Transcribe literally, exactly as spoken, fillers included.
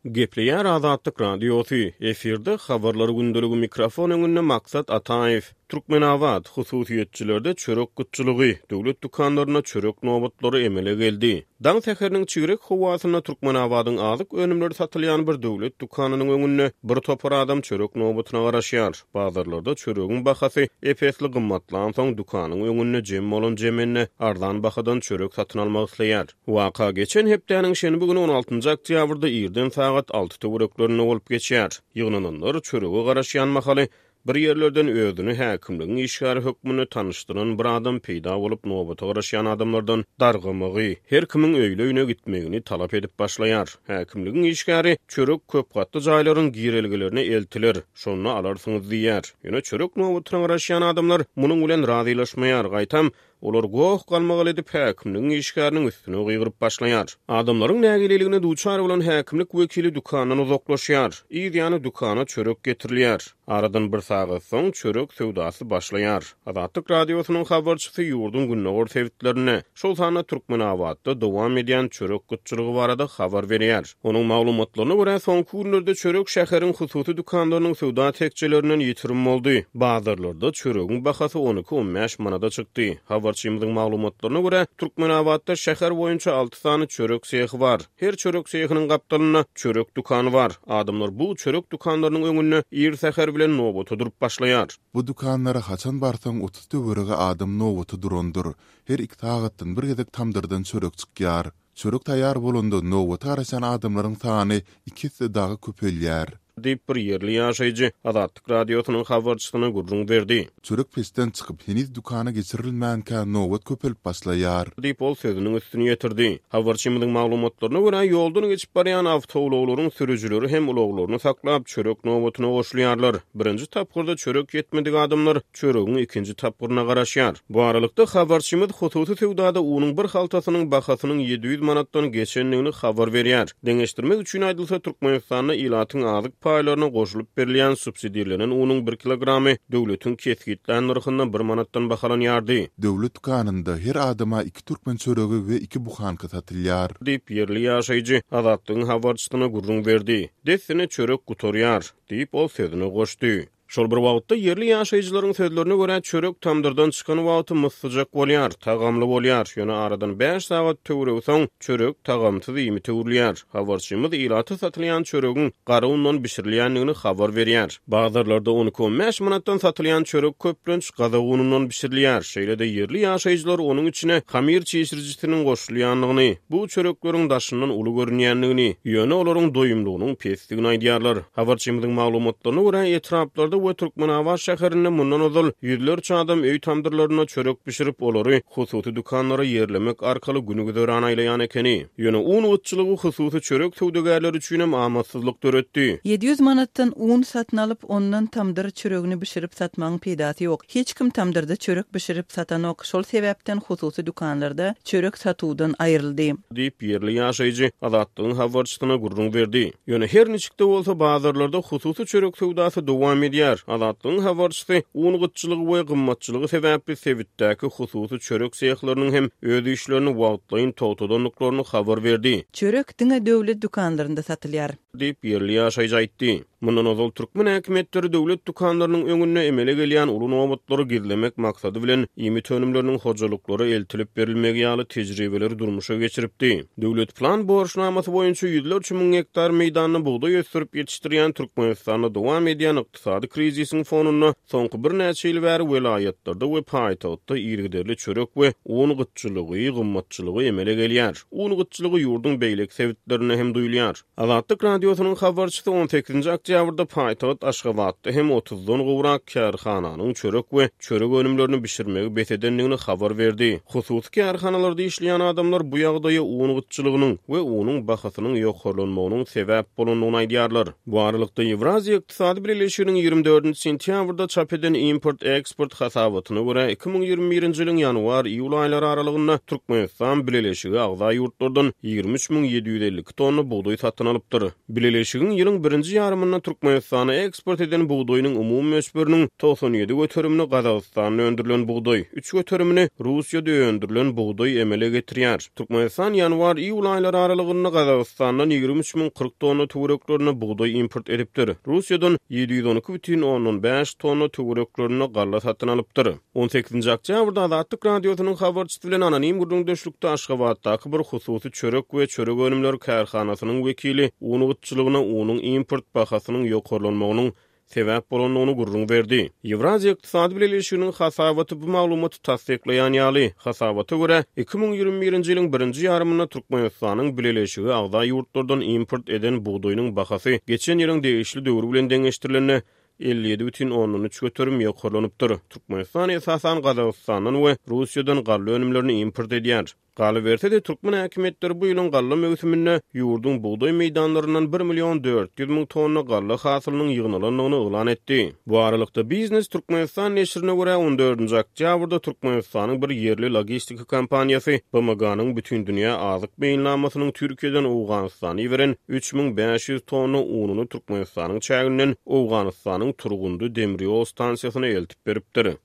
Gepleýär Azatlyk Radiosy, efirde Habarlar gündeligi mikrofon öňünde Maksat Ataýew. Türkmenabat, hususyýetçilerde çörek gytçylygy, döwlet dükanlarynda çörek nobatlary emele geldi. Daň säheriniň çigrek howasynda Türkmenabadyň azyk önümleri satylýan bir döwlet dükanynyň öňünde bir topar adam çörek nobatyna garaşýar. Bazarlarda çöregiň bahasy ep-esli gymmatlansoň dükanyň öňünde jem bolan jemende arzan bahadan çörek satyn almak isleýär. Waka geçen hepdäniň şenbe güni on altynjy oktýabrda irden sagat alty töwereklerinde bolup geçýär. Ýygnananlar çörege garaşýan mahaly bir ýerlerden özüni häkimligiň işgäri hökmünde tanyşdyran bir adam peýda bolup nobata garaşýan adamlardan dargamagy, her kimiň öýli-öýüne gitmegini talap edip başlaýar. Häkimligiň işgäri çörek köp gatly jaýlaryň girelgelerine eltiler, şonda alarsyňyz diýýär. Ýöne çörek nobatyna garaşýan adamlar munuň bilen razylaşmaýar, gaýtam olar goh galmagal edip häkimligiň işgäriniň üstüne gygyryp başlaýar. Adamlaryň nägileligine duçar bolan häkimlik wekili dükandan uzaklaşýar. Yz ýany dükana çörek getirilýär. Aradan bir sagat soň çörek söwdasy başlaýar. Azatlyk Radiosynyň habarçysy ýurduň gündogar sebitlerinde, şol sanda Türkmenabatda dowam edýän çörek gytçylygy barada habar berýär. Onuň maglumatlaryna görä soňky günlerde çörek şäheriň hususy dükanlarynyň söwda tekjelerinden ýitirim boldy. Bazarlarda çöregiň bahasy on iki on bäş manada çykdy. Habarçymyzyň maglumatlaryna görä Türkmenabatda şäher boýunça alty sany çörek sehi bar. Her çörek sehiniň gapdalynda çörek dükany bar. Adamlar bu çörek dükanlarynyň öňünde ir säher bilen nobata durup başlaýar. Bu dükanlara haçan barsaň otuz töweregi adam nobata durandyr. Her iki sagatdan bir gezek tamdyrdan çörek çykýar. Çörek taýýar bolanda nobata garaşan adamlaryň sany iki esse dagy köpelýär. Diýip bir ýerli ýaşaýjy Azatlyk Radiosynyň habarçysyna gürrüň berdi. Çörek peçden çykyp heniz dükana geçirilmänkä nobat köpelip başlaýar. Diýip ol sözüniň üstüni ýetirdi. Habarçymyzyň maglumatlaryna görä ýoldan geçip barýan awtoulaglaryň sürüjileri hem ulaglaryny saklap çörek nobatyna goşulýarlar. Birinji tapgyrda çörek ýetmedik adamlar çöregiň ikinji tapgyryna garaşýar. Bu aralykda habarçymyz hususy söwdada unuň bir haltasynyň bahasynyň ýedi ýüz manatdan geçendigini habar berýär. Deňeşdirmek üçin aýdylsa Türkmenistanda ilatyň azyk paýlaryna goşulyp berilýän subsidirlenen unuň bir kilogramy döwletiň kesgitlän nyrhynda bir manatdan bahalanýardy. Döwlet dükanynda her adama iki türkmen çöregi we iki buhanka satylýar. Diýip ýerli ýaşaýjy Azatlygyň habarçysyna gürrüň berdi. Dessine çörek gutarýar, diýip ol sözüne goşdy. Şol bir wagtda ýerli ýaşaýjylaryň sözlerine görä çörek tamdyrdan çykan wagty myssyjak bolýar, tagamly bolýar. Ýöne aradan bäş sagat töweregi soň çörek tagamsyz iýmite öwrülýär. Habarçymyz ilata satylýan çöregiň gara undan bişirilýändigini habar berýär. Bazarlarda on iki on bäş manatdan satylýan çörek köplenç gazak unundan bişirilýär. Şeýle-de ýerli ýaşaýjylar onuň içine hamir çişirijisiniň goşulýandygyny, bu çörekleriň daşyndan uly görünýändigini, ýöne olaryň doýumlygynyň pesdigini aýdýarlar. Habarçymyzyň maglumatlaryna görä etraplarda we Türkmenabat şäherinde mundan ozal ýüzlerçe adam öý tamdyrlarynda çörek bişirip, olary hususy dükanlara ýerlemek arkaly günü güzeran aýlaýan ekeni. Ýöne un gytçylygy hususy çörek söwdagärleri üçin hem amatsyzlyk döretdi. ýedi ýüz manatdan un satyn alyp, ondan tamdyr çöregini bişirip satmagyň peýdasy ýok. Hiç kim tamdyrda çörek bişirip satanok. Şol sebäpden hususy dükanlarda çörek satuwdan aýryldy. Diýip ýerli ýaşaýjy Azatlygyň habarçysyna gürrüň berdi. Ýöne her niçikde bolsa bazarlarda hususy çörek söwdasy dowam edýär. Azatlygyň habarçysy un gytçylygy we gymmatçylygy sebäpli sebitdäki hususy çörek sehleriniň hem öz işlerini wagtlaýyn togtadandyklaryny habar berdi. Çörek diňe döwlet dükanlarynda satylýar. Diýip ýerli ýaşaýjy aýtdy. Mundan ozal türkmen häkimiýetleri döwlet dükanlarynyň öňünde emele gelýän uly nobatlary gizlemek maksady bilen iýmit önümleriniň hojalyklara eltilip berilmegi ýaly tejribeleri durmuşa geçiripdi. Döwlet plan borçnamasy boýunça ýüzlerçe müň gektar meýdanda bugdaý ösdürip ýetişdirýän Türkmenistanda dowam edýän ykdysady krizisiň fonunda soňky birnäçe ýyl bäri welaýatlarda we paýtagtda yzygiderli çörek we un gytçylygy, gymmatçylygy emele gelýär. Un gytçylygy ýurduň beýleki sebitlerinde hem duýulýar. Azatlyk Radiosynyň habarçysy on sekizinji oktýabrda paýtagt Aşgabatda hem otuzdan gowrak kärhananyň çörek we çörek önümlerini bişirmegi bes edendigini habar berdi. Hususy kärhanalarda işleýän adamlar bu ýagdaýa un gytçylygynyň we unuň bahasynyň ýokarlanmagynyň sebäp bolandygyny aýdýarlar. Bu aralykda Ýewraziýa Ykdysady Birleşiginiň ýigrimi dördünji sentýabrda çap eden import-eksport hasabatyna görä iki müň ýigrimi birinji ýylyň ýanwar-iýul aýlary aralygynda Türkmenistan Bileleşigi agza ýurtlardan ýigrimi üç müň ýedi ýüz elli iki tonna bugdaý satyn alypdyr. Bileleşigiň ýylyň birinji ýarymynda aýynda Türkmenistana eksport eden bugdaýynyň umumy möçberiniň togsan ýedi göterimini Gazagystanda öndürilen bugdaý, üç göterimini Russiýada öndürilen bugdaý emele getirýär. Türkmenistan ýanwar-iýul aýlary aralygynda Gazagystandan ýigrimi üç müň kyrk tonna töwereklerinde bugdaý import edipdir. Russiýadan ýedi ýüz on iki bütin ondan bäş tonna töwereklerinde galla satyn alypdyr. On sekizinji oktýabrda Azatlyk Radiosynyň habarçysy bilen anonim gürrüňdeşlikde Aşgabatdaky bir hususy çörek we çörek önümleri kärhanasynyň wekili un gytçylygyna unuň import bahasynyň ýokarlanmagynyň sebäp bolandygyny gürrüň berdi. Ýewraziýa Ykdysady Bileleşiginiň hasabaty bu maglumaty tassyklaýan ýaly, hasabata görä, iki müň ýigrimi birinji ýylyň birinji ýarymynda Türkmenistanyň Bileleşige agza ýurtlardan import eden bugdaýynyň bahasy geçen ýylyň degişli döwri bilen deňeşdirilende elli ýedi bütin ondan üç göterim ýokarlanypdyr. Türkmenistan esasan Gazagystandan we Russiýadan galla önümlerini import edýär. Galyberse-de, türkmen häkimiýetleri bu ýylyň galla möwsüminde ýurduň bugdaý meýdanlaryndan bir million dört ýüz müň tonna galla hasylynyň ýygnalandygyny yglan etdi. Bu aralykda, Biznes Türkmenistan neşirine görä, on dördünji oktýabrda Türkmenistanyň bir ýerli logistika kompaniýasy B M G-nyň Bütindünýä azyk meýilnamasynyň Türkiýeden Owganystana iberen üç müň bäş ýüz tonna ununy Türkmenistanyň çäginden Owganystanyň Turgundy demir ýol stansiýasyna eltip beripdir.